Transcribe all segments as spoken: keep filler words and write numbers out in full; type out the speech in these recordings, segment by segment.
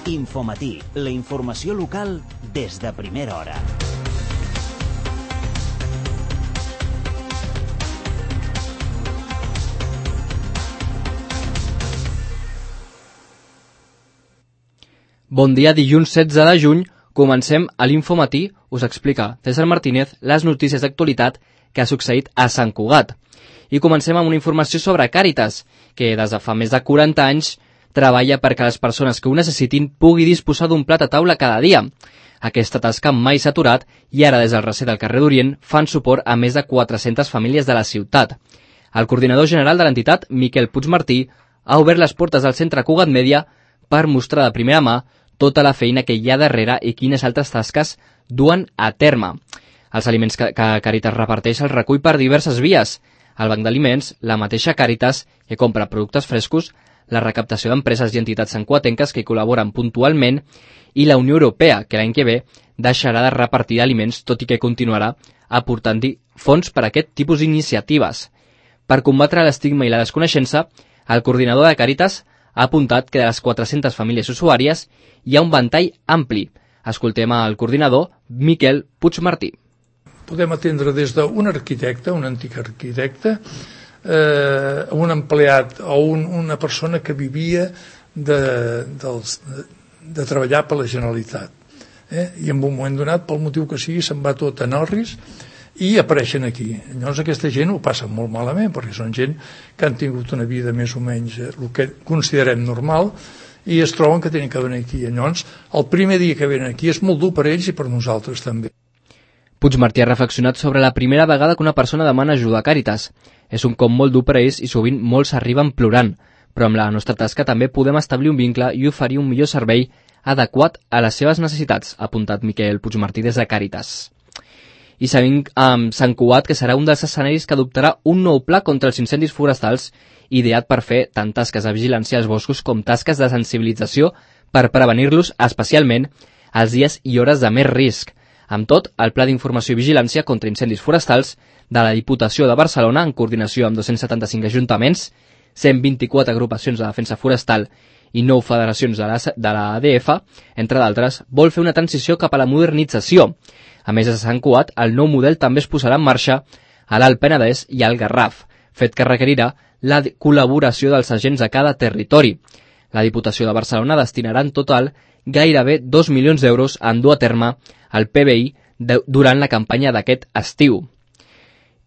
Infomatí, la informació local des de primera hora. Bon dia, dilluns setze de juny, comencem a l'Infomatí, us explica César Martínez les notícies d'actualitat que ha succeït a Sant Cugat. I comencem amb una informació sobre Càritas, que des de fa més de quaranta anys treballa perquè les persones que ho necessitin pugui disposar d'un plat a taula cada dia. Aquesta tasca mai s'ha aturat i ara des del recer del carrer d'Orient fan suport a més de quatre-centes famílies de la ciutat. El coordinador general de l'entitat, Miquel Puigmartí, ha obert les portes del centre Cugat Mèdia per mostrar de primera mà tota la feina que hi ha darrere i quines altres tasques duen a terme. Els aliments que, que Càritas reparteix els recull per diverses vies. El Banc d'Aliments, la mateixa Càritas, que compra productes frescos, la recaptació d'empreses i entitats santcugatenques que hi col·laboren puntualment i la Unió Europea, que l'any que ve deixarà de repartir aliments, tot i que continuarà aportant-hi fons per a aquest tipus d'iniciatives. Per combatre l'estigma i la desconeixença, el coordinador de Càritas ha apuntat que de les quatre-centes famílies usuàries hi ha un ventall ampli. Escoltem al coordinador, Miquel Puigmartí. Podem atendre des d'un arquitecte, un antic arquitecte, eh, un empleat o un, una persona que vivia de, dels, de, de treballar per la Generalitat. Eh? I en un moment donat, pel motiu que sigui, se'n va tot a Norris i apareixen aquí. Llavors aquesta gent ho passa molt malament, perquè són gent que han tingut una vida més o menys eh, el que considerem normal, i es troben que tenen que venir aquí. Llavors, el primer dia que venen aquí és molt dur per ells i per nosaltres també. Puigmartí ha reflexionat sobre la primera vegada que una persona demana ajuda a Càritas. És un cop molt dur per a ells i sovint molts arriben plorant, però amb la nostra tasca també podem establir un vincle i oferir un millor servei adequat a les seves necessitats, ha apuntat Miquel Puigmartí des de Càritas. I sabem amb Sant Cugat que serà un dels escenaris que adoptarà un nou pla contra els incendis forestals ideat per fer tant tasques de vigilància als boscos com tasques de sensibilització per prevenir-los especialment als dies i hores de més risc. Amb tot, el Pla d'Informació i Vigilància contra Incendis Forestals de la Diputació de Barcelona, en coordinació amb dos-cents setanta-cinc ajuntaments, cent vint-i-quatre agrupacions de defensa forestal i nou federacions de la, de la A D F, entre d'altres, vol fer una transició cap a la modernització. A més de Sant Cugat, el nou model també es posarà en marxa a l'Alt Penedès i al Garraf, fet que requerirà la col·laboració dels agents a cada territori. La Diputació de Barcelona destinarà en total gairebé dos milions d'euros en dur a terme el P B I de, durant la campanya d'aquest estiu.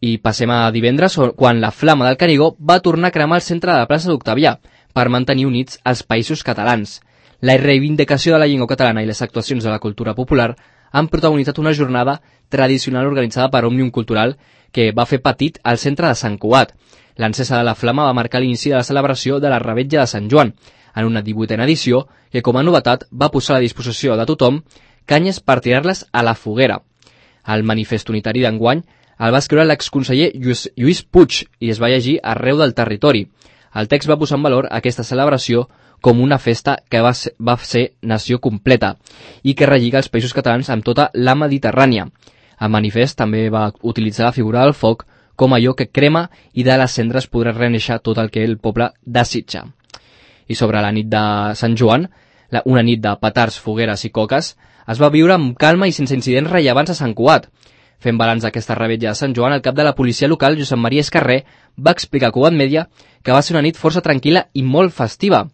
I passem a divendres, quan la Flama del Canigó va tornar a cremar el centre de la plaça d'Octavià per mantenir units els països catalans. La reivindicació de la llengua catalana i les actuacions de la cultura popular han protagonitzat una jornada tradicional organitzada per Òmnium Cultural que va fer petit al centre de Sant Cugat. L'encesa de la Flama va marcar l'inici de la celebració de la Revetlla de Sant Joan, en una divuitena edició que, com a novetat, va posar a la disposició de tothom canyes per tirar-les a la foguera. El manifest unitari d'enguany el va escriure l'exconseller Lluís, Lluís Puig i es va llegir arreu del territori. El text va posar en valor aquesta celebració com una festa que va ser, va ser nació completa i que relliga els països catalans amb tota la Mediterrània. El manifest també va utilitzar la figura del foc com allò que crema i de les cendres podrà reneixer tot el que el poble desitja. I sobre la nit de Sant Joan, una nit de petards, fogueres i coques, es va viure amb calma i sense incidents rellevants a Sant Cugat. Fent balanç d'aquesta revetlla de Sant Joan, el cap de la policia local, Josep Maria Escarré, va explicar a Cugat Mèdia que va ser una nit força tranquil·la i molt festiva.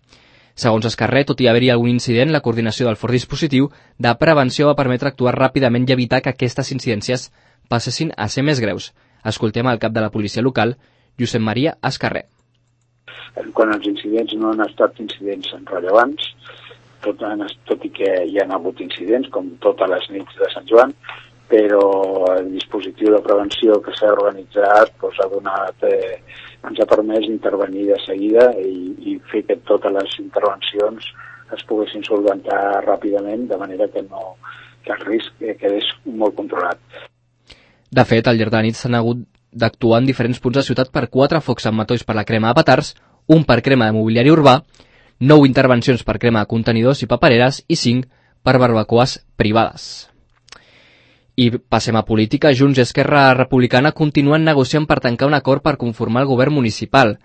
Segons Escarré, tot i haver-hi algun incident, la coordinació del fort dispositiu de prevenció va permetre actuar ràpidament i evitar que aquestes incidències passessin a ser més greus. Escoltem el cap de la policia local, Josep Maria Escarré. Quan els incidents no han estat incidents rellevants, tot, tot i que hi ha hagut incidents, com totes les nits de Sant Joan, però el dispositiu de prevenció que s'ha organitzat doncs, ha donat, eh, ens ha permès intervenir de seguida i, i fer que totes les intervencions es poguessin solventar ràpidament, de manera que, no, que el risc quedés molt controlat. De fet, al llarg de la nit s'han hagut d'actuar en diferents punts de ciutat per quatre focs amb matolls per la crema de petards, un per crema de mobiliari urbà, nou intervencions per crema de contenidors i papereres i cinc per barbacoes privades. I passem a política. Junts i Esquerra Republicana continuen negociant per tancar un acord per conformar el govern municipal.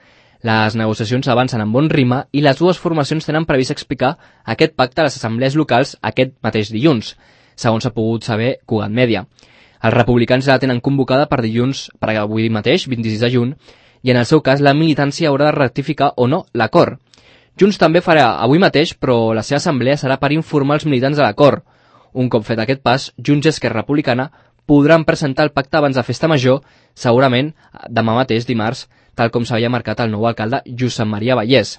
Les negociacions avancen amb bon ritme i les dues formacions tenen previst explicar aquest pacte a les assemblees locals aquest mateix dilluns, segons s'ha pogut saber Cugat Mèdia. Els republicans la tenen convocada per dilluns, per avui mateix, vint-i-sis de juny, i en el seu cas la militància haurà de rectificar o no l'acord. Junts també farà avui mateix, però la seva assemblea serà per informar els militants de l'acord. Un cop fet aquest pas, Junts i Esquerra Republicana podran presentar el pacte abans de Festa Major, segurament demà mateix, dimarts, tal com s'havia marcat el nou alcalde Josep Maria Vallès.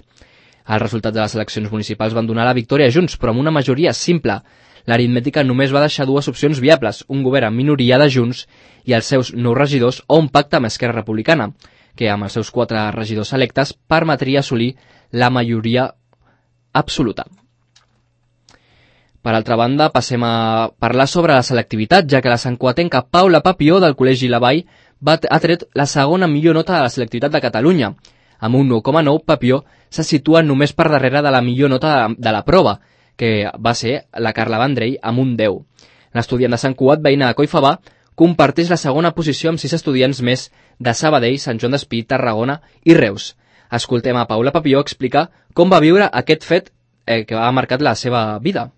Els resultats de les eleccions municipals van donar la victòria a Junts, però amb una majoria simple. L'aritmètica només va deixar dues opcions viables, un govern amb minoria de Junts i els seus nou regidors o un pacte amb Esquerra Republicana, que amb els seus quatre regidors electes permetria assolir la majoria absoluta. Per altra banda, passem a parlar sobre la selectivitat, ja que la santcugatenca Paula Papió del Col·legi La Vall va, ha tret la segona millor nota de la selectivitat de Catalunya. Amb un nou coma nou, Papió se situa només per darrere de la millor nota de, de la prova, que va ser la Carla Vendrell amb un deu. L'estudiant de Sant Cugat, veïna de Collfabà, comparteix la segona posició amb sis estudiants més de Sabadell, Sant Joan d'Espí, Tarragona i Reus. Escoltem a Paula Papió explicar com va viure aquest fet eh, que ha marcat la seva vida.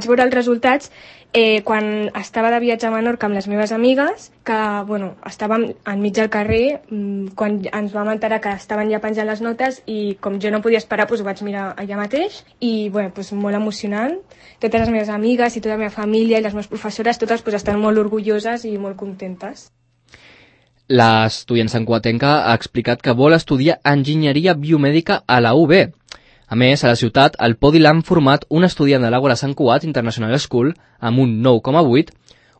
Vaig veure els resultats eh, quan estava de viatge a Menorca amb les meves amigues, que bueno, estàvem enmig del carrer mmm, quan ens vam enterar que estaven ja penjant les notes i com jo no podia esperar doncs ho vaig mirar allà mateix i bueno, doncs molt emocionant. Totes les meves amigues i tota la meva família i les meves professores totes doncs, estan molt orgulloses i molt contentes. L'estudiant santcugatenca ha explicat que vol estudiar enginyeria biomèdica a la U B. A més, a la ciutat, al podi l'han format un estudiant de l'Àgora Sant Cugat International School amb un nou coma vuit,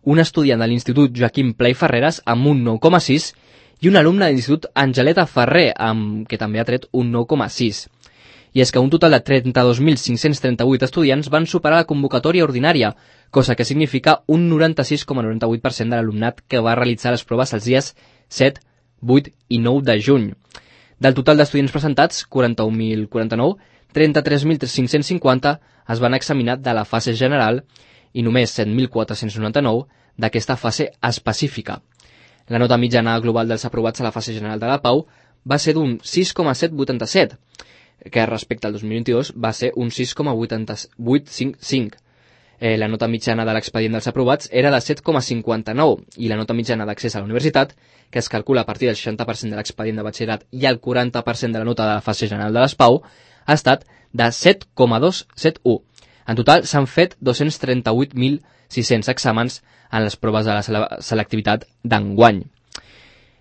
un estudiant de l'Institut Joaquim Pla i Ferreres amb un nou coma sis i un alumne de l'Institut Angeleta Ferrer, amb, que també ha tret un nou coma sis. I és que un total de trenta-dos mil cinc-cents trenta-vuit estudiants van superar la convocatòria ordinària, cosa que significa un noranta-sis coma noranta-vuit per cent de l'alumnat que va realitzar les proves els dies set, vuit i nou de juny. Del total d'estudiants presentats, quaranta-un mil quaranta-nou, trenta-tres mil cinc-cents cinquanta es van examinar de la fase general i només set mil quatre-cents noranta-nou d'aquesta fase específica. La nota mitjana global dels aprovats a la fase general de la Pau va ser d'un sis coma set vuitanta-set, que respecte al dos mil vint-i-dos va ser un sis coma vuit cinc. Eh, la nota mitjana de l'expedient dels aprovats era de set coma cinquanta-nou i la nota mitjana d'accés a la universitat, que es calcula a partir del seixanta per cent de l'expedient de batxillerat i el quaranta per cent de la nota de la fase general de les Pau, ha estat de set coma dos set u. En total s'han fet dos-cents trenta-vuit mil sis-cents exàmens en les proves de la selectivitat d'enguany.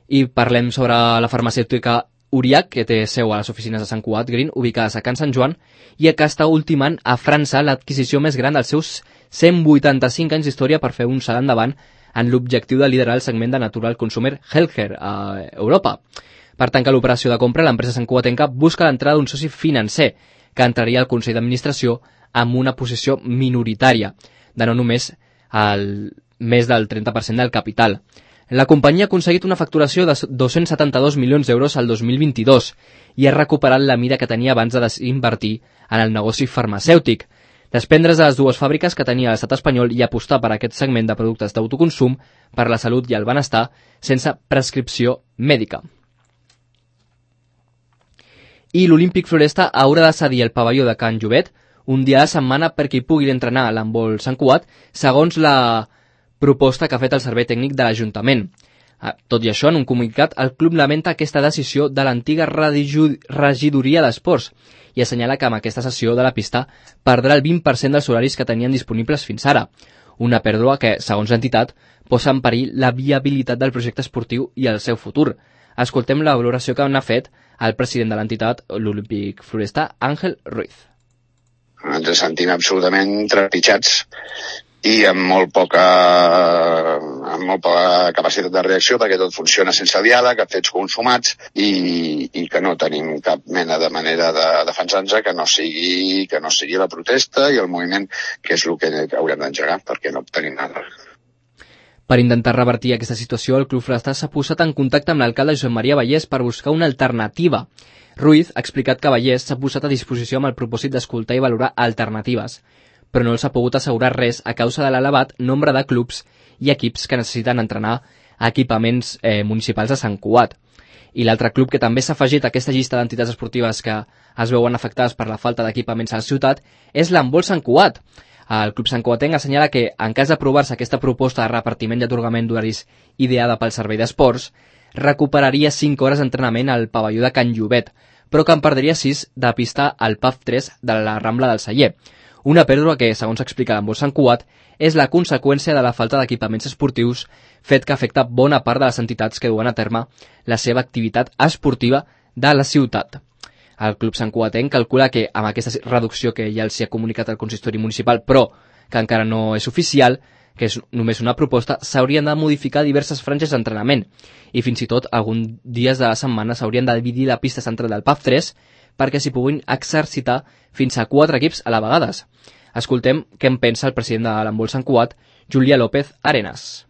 I parlem sobre la farmacèutica Uriach, que té seu a les oficines de Sant Cugat Green, ubicades a Can Sant Joan, i que està ultimant a França l'adquisició més gran dels seus cent vuitanta-cinc anys d'història per fer un salt endavant en l'objectiu de liderar el segment de Natural Consumer Healthcare a Europa. Per tancar l'operació de compra, l'empresa santcugatenca busca l'entrada d'un soci financer que entraria al Consell d'Administració amb una posició minoritària, de no només el més del trenta per cent del capital. La companyia ha aconseguit una facturació de dos-cents setanta-dos milions d'euros al dos mil vint-i-dos i ha recuperat la mida que tenia abans de desinvertir en el negoci farmacèutic, desprendre's de les dues fàbriques que tenia l'estat espanyol i apostar per aquest segment de productes d'autoconsum per la salut i el benestar sense prescripció mèdica. I l'Olímpic Floresta haurà de cedir el pavelló de Can Llobet un dia a la setmana perquè hi pugui entrenar a l'handbol Sant Cugat, segons la proposta que ha fet el Servei Tècnic de l'Ajuntament. Tot i això, en un comunicat, el club lamenta aquesta decisió de l'antiga regidoria d'esports i assenyala que amb aquesta cessió de la pista perdrà el vint per cent dels horaris que tenien disponibles fins ara, una pèrdua que, segons l'entitat, posa en perill la viabilitat del projecte esportiu i el seu futur. Escoltem la valoració que n'ha fet el president de l'entitat, l'Olímpic Floresta, Àngel Ruiz. Ens sentim absolutament trepitjats i amb molt poca, amb molt poca capacitat de reacció perquè tot funciona sense diàleg, fets consumats i, i que no tenim cap mena de manera de defensar-nos que no sigui que no sigui la protesta i el moviment, que és el que haurem d'engegar perquè no obtenim nada. Per intentar revertir aquesta situació, el Club Forestal s'ha posat en contacte amb l'alcalde Josep Maria Vallès per buscar una alternativa. Ruiz ha explicat que Vallès s'ha posat a disposició amb el propòsit d'escoltar i valorar alternatives, però no els ha pogut assegurar res a causa de l'elevat nombre de clubs i equips que necessiten entrenar a equipaments eh, municipals de Sant Cugat. I l'altre club que també s'ha afegit a aquesta llista d'entitats esportives que es veuen afectades per la falta d'equipaments a la ciutat és l'Handbol Sant Cugat. El Club Sant Cugatenc assenyala que, en cas d'aprovar-se aquesta proposta de repartiment i atorgament d'horaris ideada pel Servei d'Esports, recuperaria cinc hores d'entrenament al pavelló de Can Llobet, però que en perdria sis de pista al P A F tres de la Rambla del Celler. Una pèrdua que, segons explica l'Handbol Sant Cugat, és la conseqüència de la falta d'equipaments esportius, fet que afecta bona part de les entitats que duen a terme la seva activitat esportiva de la ciutat. El Club Sant Cugatenc calcula que amb aquesta reducció que ja els hi ha comunicat el consistori municipal, però que encara no és oficial, que és només una proposta, s'haurien de modificar diverses franges d'entrenament i fins i tot alguns dies de la setmana s'haurien de dividir la pista central del P A F tres perquè s'hi puguin exercitar fins a quatre equips a la vegada. Escoltem què en pensa el president de l'Handbol Sant Cugat, Julià López Arenas.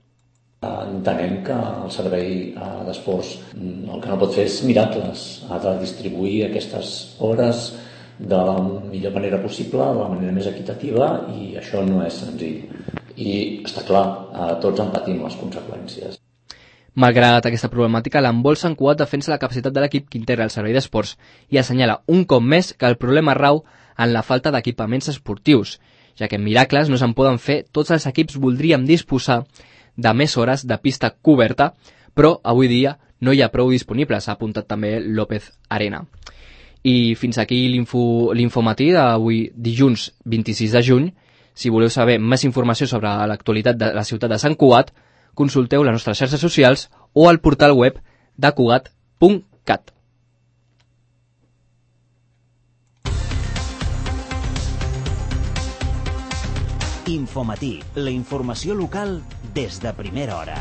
Entenem que el servei d'esports el que no pot fer és miracles, ha de distribuir aquestes hores de la millor manera possible, de la manera més equitativa, i això no és senzill. I està clar, tots en patim les conseqüències. Malgrat aquesta problemàtica, l'Handbol Sant Cugat defensa la capacitat de l'equip que integra el servei d'esports i assenyala un cop més que el problema rau en la falta d'equipaments esportius, ja que miracles no se'n poden fer, tots els equips voldríem disposar de més hores de pista coberta, però avui dia no hi ha prou disponibles, ha apuntat també López Arena. I fins aquí l'infomatí d'avui dilluns vint-i-sis de juny. Si voleu saber més informació sobre l'actualitat de la ciutat de Sant Cugat, consulteu les nostres xarxes socials o el portal web de cugat punt cat. Infomatí, la informació local des de primera hora.